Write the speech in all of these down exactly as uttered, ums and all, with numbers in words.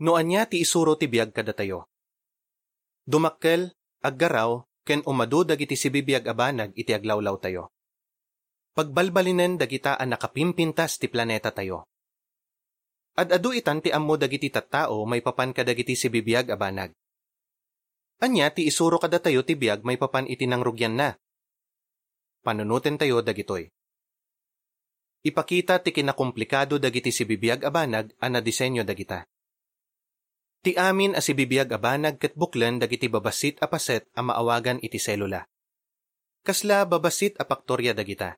No ania ti isuro ti biag kadatayo? Dumakkel, aggaraw, ken umadu dagiti sibibiag a banag iti aglawlawtayo. Pagbalbalinen dagita a nakapimpintas ti planetatayo. Ad-adu itan ti ammo dagiti tattao maipapan kadagiti sibibiag a banag. Ania ti isuro kadatayo ti biag maipapan iti nangrugianna? Panunotentayo dagitoy. Ipakita ti kinakomplikado dagiti sibibiag a banag a nadisenyo dagita. Ti amin a sibibiag a banag ket buklen dagiti babassit a paset a maawagan iti selula. Kasla babassit a paktoria dagita.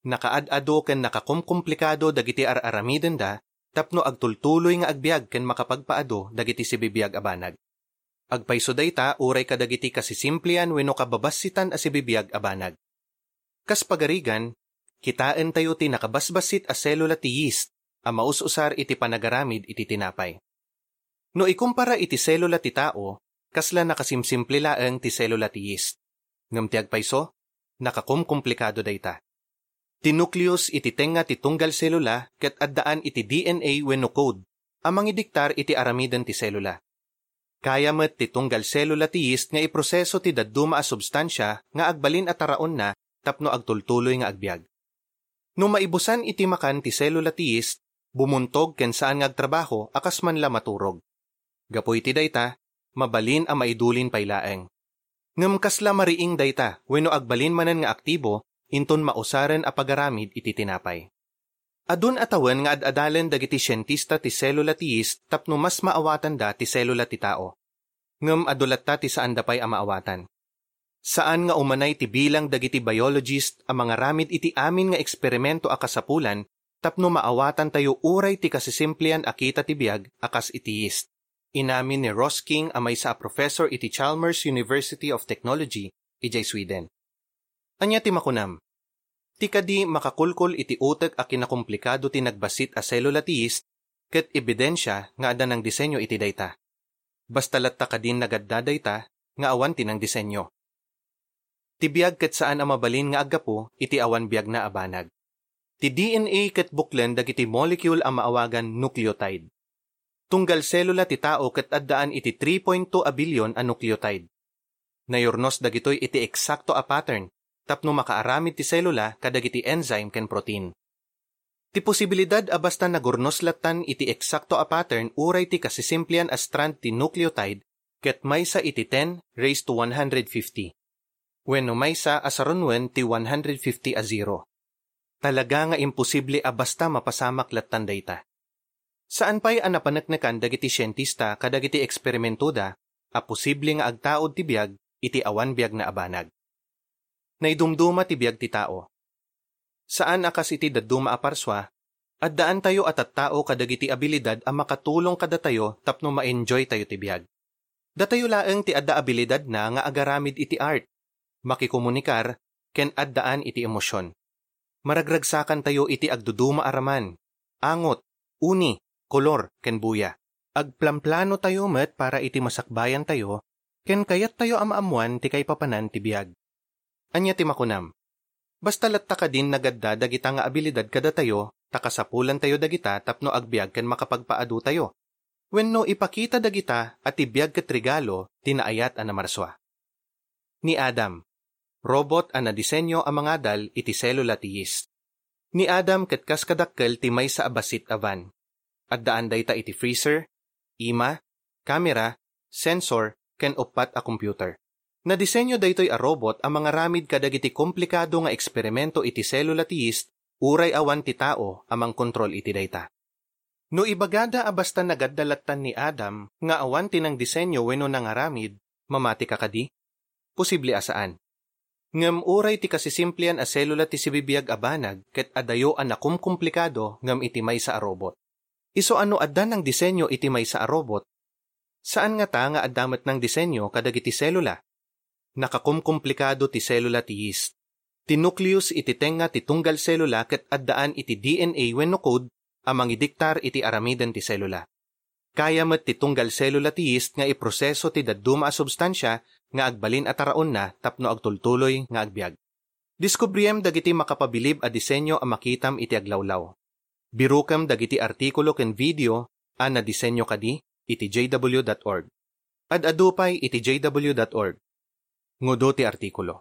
Nakaad-adu ken nakakomkomplikado dagiti ar-aramidenda tapno agtultuloy nga agbiag ken makapagpaadu dagiti sibibiag a banag. Agpayso dayta uray kadagiti kasisimplian wenno kababassitan a sibibiag a banag. Kas pagarigan, kitaentayo ti nakabasbassit a selula ti yeast a maus-usar iti panagaramid iti tinapay. No ikumpara iti selula ti tao, kasla nakasimsimple laeng ti selula ti yeast. Ngem ti agpayso, nakakomkomplikado dayta. Ti nucleus iti tengnga ti tunggal selula ket addaan iti D N A wenno code a mangidiktar iti aramiden ti selula. Kaya met ti tunggal selula ti yeast nga iproseso ti dadduma a substansia nga agbalin a taraonna tapno agtultuloy nga agbiag. No maibusan iti makan ti selula ti yeast, bumuntog ken saan nga agtrabaho a kas man la maturog. Gapu iti dayta, mabalin a maidulin pay laeng. Ngem kasla mariing dayta wenno agbalin manen nga aktibo inton mausaren a pagaramid iti tinapay. Adun a tawen nga ad-adalen dagiti sientista ti selula ti yeast tapno mas maawatanda ti selula ti tao. Ngem adu latta ti saanda pay a maawatan. Saan nga umanay ti bilang dagiti biologist a mangaramid iti amin nga eksperimento a kasapulan tapno maawatantayo uray ti kasisimplian a kita ti biag a kas iti yeast. Inamin ni Ross King a maysa a professor iti Chalmers University of Technology idiay Sweden. Ania ti makunam? Ti kadi makakulkol iti utek a kinakomplikado ti nagbassit a selula ti yeast ket ebidensia nga adda nangdisenyo iti dayta. Basta latta kadin nagadda dayta nga awan ti nangdisenyo. Ti biag ket saan a mabalin nga aggapu iti awan biagna a banag. Ti D N A ket buklen dagiti molecule a maawagan nucleotide. Tunggal selula ti tao ket addaan iti three point two a billion a nucleotide. Nayurnos dagitoy iti eksakto a pattern tapno makaaramid ti selula kadagiti enzyme ken protein. Ti posibilidad a basta nagurnos lattan iti eksakto a pattern uray ti kasisimplian a strand ti nucleotide ket maysa iti ten raised to one hundred fifty. Wenno maysa a sarunuen ti one hundred fifty a zero. Talaga nga imposible a basta mapasamak lattan dayta. Saan pay a napaneknekan dagiti sientista kadagiti eksperimentoda a posible nga agtaud ti biag iti awan biagna a banag. Naidumduma ti biag ti tao. Saan a kas iti dadduma a parsua, addaantayo a tattao kadagiti abilidad a makatulong kadatayo tapno ma-enjoytayo ti biag. Datayo laeng ti adda abilidadna nga agaramid iti art, makikomunikar, ken addaan iti emosion. Maragragsakantayo iti agduduma a raman, angot, uni, kolor, ken buya. Agplamplanotayo met para iti masakbayantayo, ken kayattayo a maammoan ti kaipapanan ti biag. Ania ti makunam? Basta latta kadin nagadda dagita nga abilidad kadatayo, ta kasapulantayo dagita tapno agbiag ken makapagpaadutayo. Wenno ipakita dagita a ti biag ket regalo ti naayat a namarsua. Ni Adam, robot a nadisenyo a mangadal iti selula ti yeast. Ni Adam ket kas kadakkel ti maysa a bassit a van. Addaan dayta iti freezer, ima, kamera, sensor, ken uppat a computer. Nadisenyo daytoy a robot a mangaramid kadagiti komplikado nga eksperimento iti selula ti yeast uray awan ti tao a mangkontrol iti dayta. No ibagada a basta nagadda lattan ni Adam nga awan ti nangdisenyo wenno nangaramid, mamatika kadi? Posible a saan. Ngem uray ti kasisimplian a selula ti sibibiag a banag ket adayo a nakumkomplikado ngem iti maysa a robot. Isu a no adda nangdisenyo iti maysa a robot, saan ngata nga adda met nangdisenyo kadagiti selula? Nakakumkomplikado ti selula ti yeast. Ti nucleus iti tengnga ti tunggal selula ket addaan iti D N A wenno code a mangidiktar iti aramiden ti selula. Kaya met ti tunggal selula ti yeast nga iproseso ti dadduma a substansia nga agbalin a taraonna tapno agtultuloy nga agbiag. Diskubriem dagiti makapabilib a disenyo a makitam iti aglawlaw. Birukem dagiti artikulo ken video a nadisenyo kadi iti J W dot org. Ad-adu pay iti J W dot org. Ngudo ti artikulo.